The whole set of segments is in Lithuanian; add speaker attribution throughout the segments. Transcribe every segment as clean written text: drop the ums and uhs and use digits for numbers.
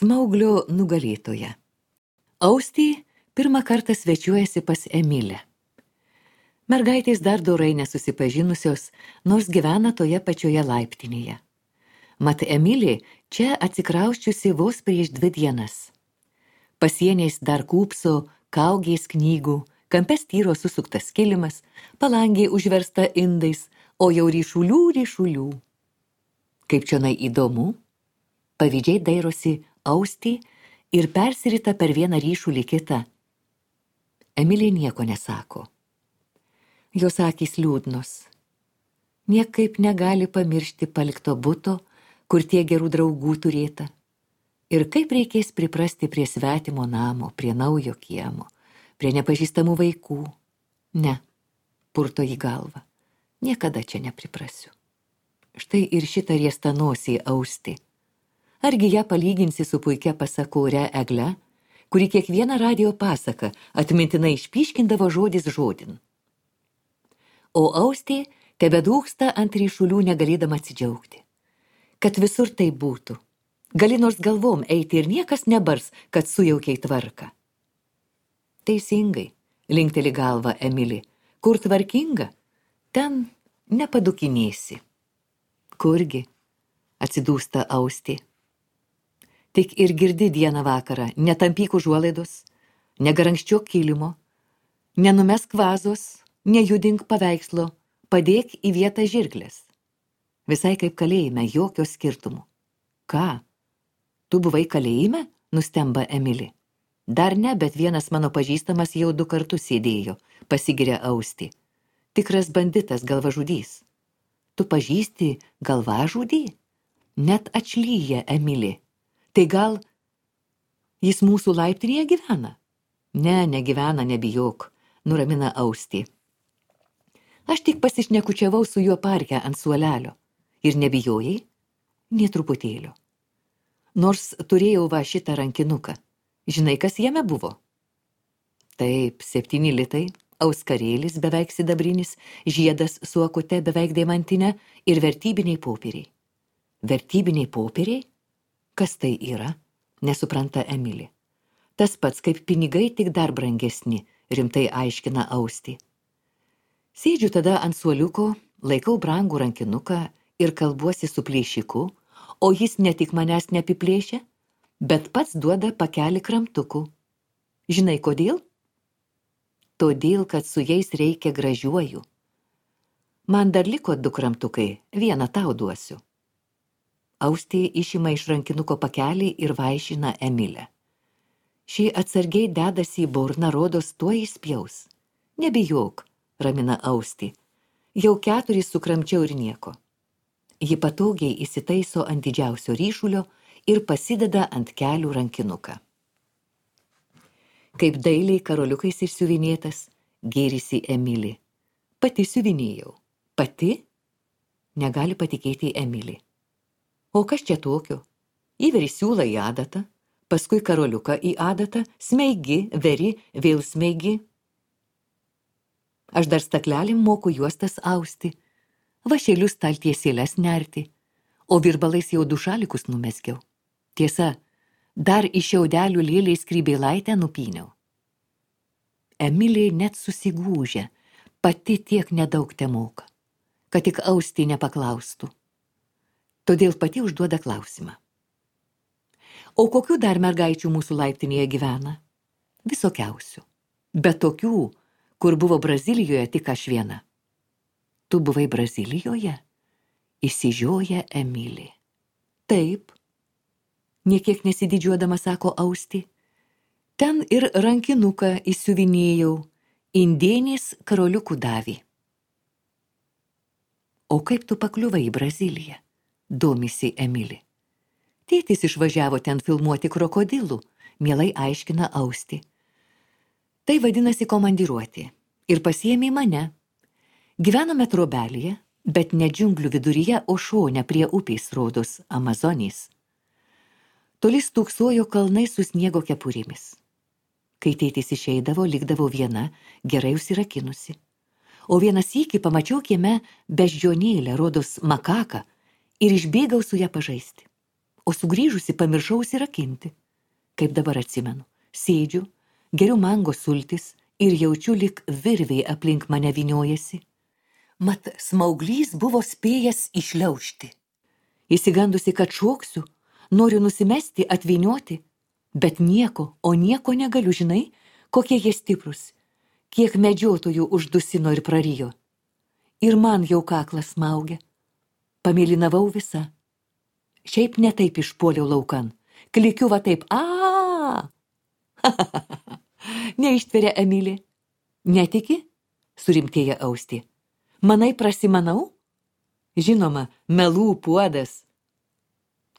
Speaker 1: Smauglio nugalėtoja. Austė pirmą kartą svečiuojasi pas Emilę. Mergaitės dar dorai nesusipažinusios, nors gyvena toje pačioje laiptinėje. Mat Emilė čia atsikrausčiusi vos prieš 2 dienas. Pasieniais dar kūpso, kaugės knygų, kampe styro susuktas kilimas, palangė užversta indais, o jau ryšulių. Kaip čionai įdomu, pavydžiai dairosi Austė ir persirita per vieną ryšulį kitą. Emilė nieko nesako. Jos akys liūdnos. Niekaip negali pamiršti palikto buto, kur tiek gerų draugų turėta. Ir kaip reikės priprasti prie svetimo namo, prie naujo kiemo, prie nepažįstamų vaikų. Ne, purto į galvą. Niekada čia nepriprasiu. Štai ir šitą riestą nosį Austė. Argi ją palyginsi su puikia pasakore Egle, kuri kiekvieną radijo pasaką atmintinai išpyškindavo žodis žodin. O Austė tebedūksta ant ryšulių negalėdama atsidžiaugti. Kad visur tai būtų. Gali nors galvom eiti ir niekas nebars, kad sujaukiai tvarką. Teisingai, linkteli galva Emilė. Kur tvarkinga, ten nepadukinėsi. Kurgi, atsidūsta Austė. Tik ir girdi dieną vakarą, netampyk užuolaidos, negarankščiok kilimo, nenumesk vazos, nejudink paveikslo, padėk į vietą žirklės. Visai kaip kalėjime, jokio skirtumų. Ką? Tu buvai kalėjime? Nustemba Emilė. Dar ne, bet vienas mano pažįstamas jau 2 kartus sėdėjo, pasigiria Austė. Tikras banditas, galvažudys. Tu pažįsti galvažudį? Net atšlyja Emilė. Tai gal jis mūsų laiptinėje gyvena? Ne, negyvena, nebijok, nuramina Austė. Aš tik pasišnekučiavau su juo parke ant suolelio. Ir nebijojai? Nė truputėlio. Nors turėjau va šitą rankinuką. Žinai, kas jame buvo? Taip, 7 litai, auskarėlis beveik sidabrinis, žiedas su akute beveik deimantinė ir vertybiniai popieriai. Vertybiniai popieriai? Kas tai yra? Nesupranta Emilė. Tas pats kaip pinigai, tik dar brangesni, rimtai aiškina Austė. Sėdžiu tada ant suoliuko, laikau brangų rankinuką ir kalbuosi su plėšiku, o jis ne tik manęs neapiplėšia, bet pats duoda pakelį kramtukų. Žinai kodėl? Todėl, kad su jais reikia gražiuoju. Man dar liko 2 kramtukai, vieną tau duosiu. Austė išima iš rankinuko pakelį ir vaišina Emilę. Šį atsargiai dedasi į burną, rodos tuo įspjaus. Nebijok, ramina Austė. Jau 4 sukramčiau ir nieko. Ji patogiai įsitaiso ant didžiausio ryšulio ir pasideda ant kelių rankinuką. Kaip dailiai karoliukais išsiuvinėtas, gėrisi Emilė. Pati siuvinėjau. Pati? Negali patikėti Emilė. O kas čia tokio? Įveri siūlą į adatą, paskui karoliuką į adatą, smeigi, veri, vėl smeigi. Aš dar staklelim moku juostas austi, vašelius taltiesėles nerti, o virbalais jau 2 šalikus numeskiau. Tiesa, dar iš šiaudelių lėliai skrybėlaitę nupyniau. Emilė net susigūžia, pati tiek nedaug temoka, kad tik Austė nepaklaustų. Todėl pati užduoda klausimą. O kokių dar mergaičių mūsų laiptinėje gyvena? Visokiausių. Bet tokių, kur buvo Brazilijoje tik aš viena. Tu buvai Brazilijoje? Išsižioja Emilė. Taip. Niekiek nesididžiuodama sako Austė. Ten ir rankinuką įsiuvinėjau, indėnės karoliukų davė. O kaip tu pakliuvai į Braziliją? Domisi Emilė. Tėtis išvažiavo ten filmuoti krokodilų, mielai aiškina Austė. Tai vadinasi komandiruoti. Ir pasiėmė mane. Gyvenome trobelėje, bet ne džiunglių viduryje, o šone prie upės rodos Amazonės. Toli stūksojo kalnai su sniego kepurėmis. Kai tėtis išeidavo, likdavo viena, gerai užsirakinusi. O vieną sykį pamačiau kieme beždžionėlę, rodos makaką, ir išbėgau su ją pažaisti. o sugrįžusi pamiršau užsirakinti. Kaip dabar atsimenu, sėdžiu, geriu mango sultis ir jaučiu, lyg virviai aplink mane vyniojasi. Mat smauglys buvo spėjęs išliaužti. Įsigandusi, kad šoksiu, noriu nusimesti, atvynioti, bet nieko, o nieko negaliu, žinai, kokie jie stiprus, kiek medžiotojų uždusino ir prarijo. Ir man jau kaklas smaugia. Pamėlynavau visą. Šiaip ne taip išpuoliau laukan. Klikiu va taip, Neištveria Emilė. Netiki? Surimtėja Austė. Manai prasimanau? Žinoma, melų puodas.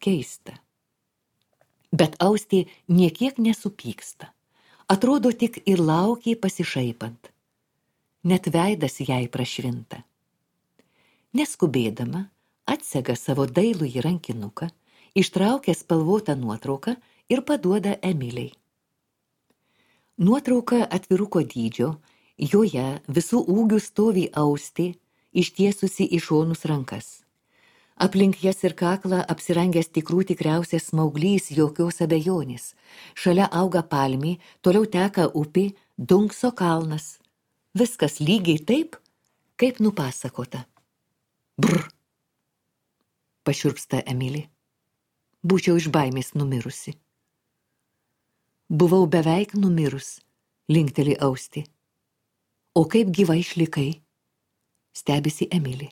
Speaker 1: Keista. Bet Austė niekiek nesupyksta. Atrodo tik ir laukė pasišaipant. Net veidas jai prašvinta. Neskubėdama, atsega savo dailųjį rankinuką, ištraukia spalvotą nuotrauką ir paduoda Emiliai. Nuotrauka atviruko dydžio, joje visų ūgių stovi Austė, ištiesusi į šonus rankas. Aplink jas ir kaklą apsirangęs tikriausias smauglys, jokios abejonės. Šalia auga palmė, toliau teka upė, Dunkso kalnas. Viskas lygiai taip, kaip nupasakota. Brr. Pašiurpsta Emilė. Būčiau iš baimės numirusi. Buvau beveik numirus, linkteli Austė. O kaip gyva išlikai? Stebisi Emilė.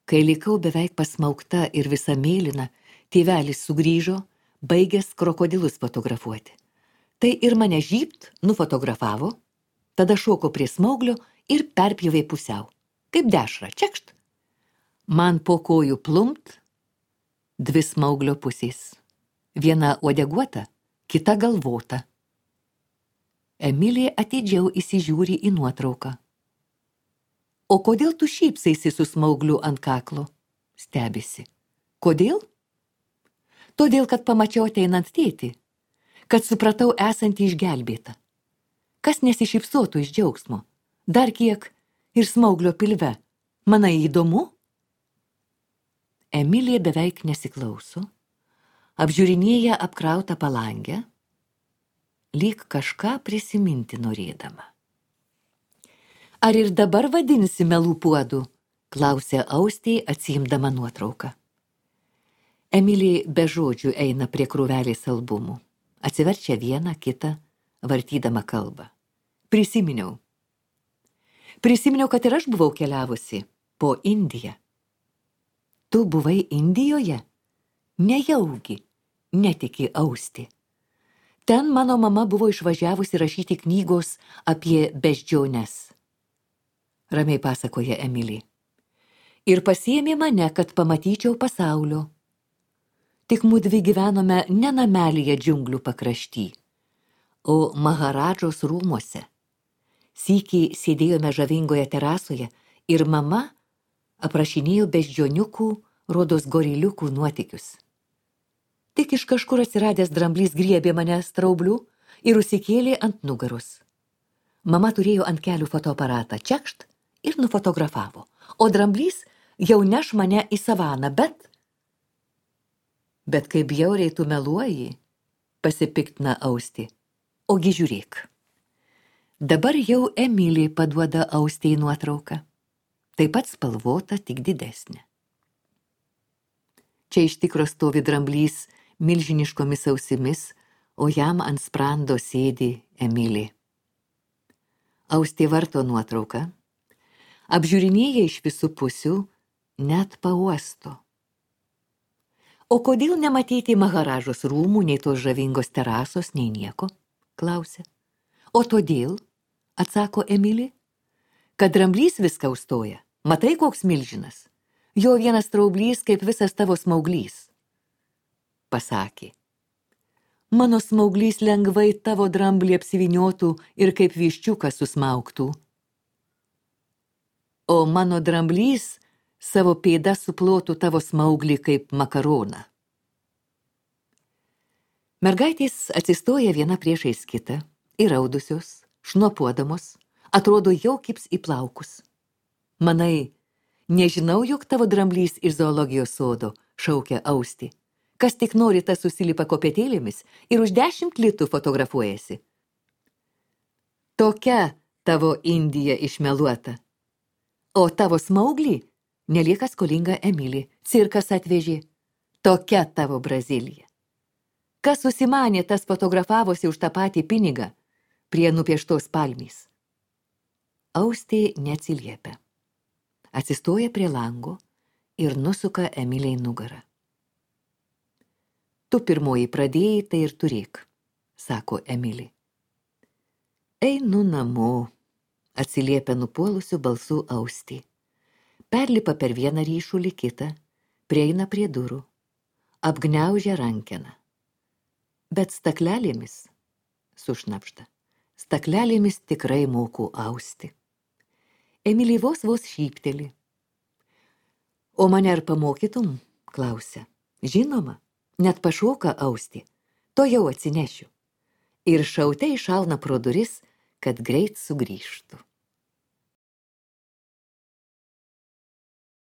Speaker 1: Kai likau beveik pasmaukta ir visa mėlyna, tėvelis sugrįžo, baigęs krokodilus fotografuoti. Tai ir mane žybt nufotografavo, tada šoko prie smauglio ir perpjovė pusiau. Kaip dešra, čekšt. Man po kojų plumpt, 2 smauglio pusės. Viena uodeguota, kita galvota. Emilė atidžiau įsižiūri į nuotrauką. O kodėl tu šypsaisi su smaugliu ant kaklo? Stebisi. Kodėl? Todėl, kad pamačiau ateinant tėtį, kad supratau esantį išgelbėtą. Kas nesišypsotų iš džiaugsmo? Dar kiek ir smauglio pilve. Manai įdomu? Emilė beveik nesiklauso, apžiūrinėja apkrautą palangę, lyg kažką prisiminti norėdama. Ar ir dabar vadinsi melų puodu? Klausė Austė, atsiimdama nuotrauką. Emilė be žodžių eina prie krūvelės albumų. Atsiverčia vieną, kitą, vartydama kalbą. Prisiminiau, kad ir aš buvau keliavusi po Indiją. Tu buvai Indijoje? Nejaugi, netiki Austė. Ten mano mama buvo išvažiavusi rašyti knygos apie beždžiones. Ramiai pasakoja Emilė. Ir pasiėmė mane, kad pamatyčiau pasaulio. Tik mudvi gyvenome ne namelyje džiunglių pakrašty, o Maharadžos rūmuose. Sykį sėdėjome žavingoje terasoje ir mama aprašinėjo beždžioniukų, rodos goriliukų nuotykius. Tik iš kažkur atsiradęs dramblys griebė mane straublių ir užsikėlė ant nugaros. Mama turėjo ant kelių fotoaparatą, čekšt, ir nufotografavo, o dramblys jau neš mane į savaną, Bet kaip bjauriai tu meluoji, pasipiktina Austė. Ogi žiūrėk. Dabar jau Emilė paduoda Austei nuotrauką. Taip pat spalvota, tik didesnė. Čia iš tikro stovi dramblys milžiniškomis ausimis, o jam ant sprando sėdi Emilė. Austė varto nuotrauką, apžiūrinėja iš visų pusių, net pauosto. O kodėl nematyti Maharažos rūmų, nei tos žavingos terasos, nei nieko? Klausia. O todėl, atsako Emilė, kad dramblys viską užstoja. Matai, koks milžinas? Jo vienas straublys, kaip visas tavo smauglys. Pasakė. Mano smauglys lengvai tavo dramblį apsiviniotų ir kaip viščiukas susmauktų. O mano dramblys savo pėdą suplotų tavo smauglį kaip makaroną. Mergaitės atsistoja viena priešais kitą, įraudusios, šnopuodamos, atrodo jau kips į plaukus. Manai, nežinau, jog tavo dramblys iš zoologijos sodo, šaukia Austė, Kas tik nori, tas susilipa kopėtėlėmis ir už 10 litų fotografuojasi. Tokia tavo Indija išmeluota. O tavo smauglį nelieka skolinga Emilį. Cirkas atvežė. Tokia tavo Brazilija. Kas susimanė, tas fotografavosi už tą patį pinigą prie nupieštos palmės. Austė neatsiliepia. Atsistoja prie lango ir nusuka Emiliai nugarą. Tu pirmoji pradėjai, tai ir turėk, sako Emilė. Einu namo, atsiliepia nupuolusiu balsu Austė. Perlipa per vieną ryšulį kitą, prieina prie durų, apgniaužia rankeną. Bet staklelėmis, sušnapšta, staklelėmis tikrai moku austi. Emilė vos šypteli. O mane ar pamokytum, klausia. Žinoma, net pašoka Austė, to jau atsinešiu. Ir šaute iššauna pro duris, kad greit sugrįžtų.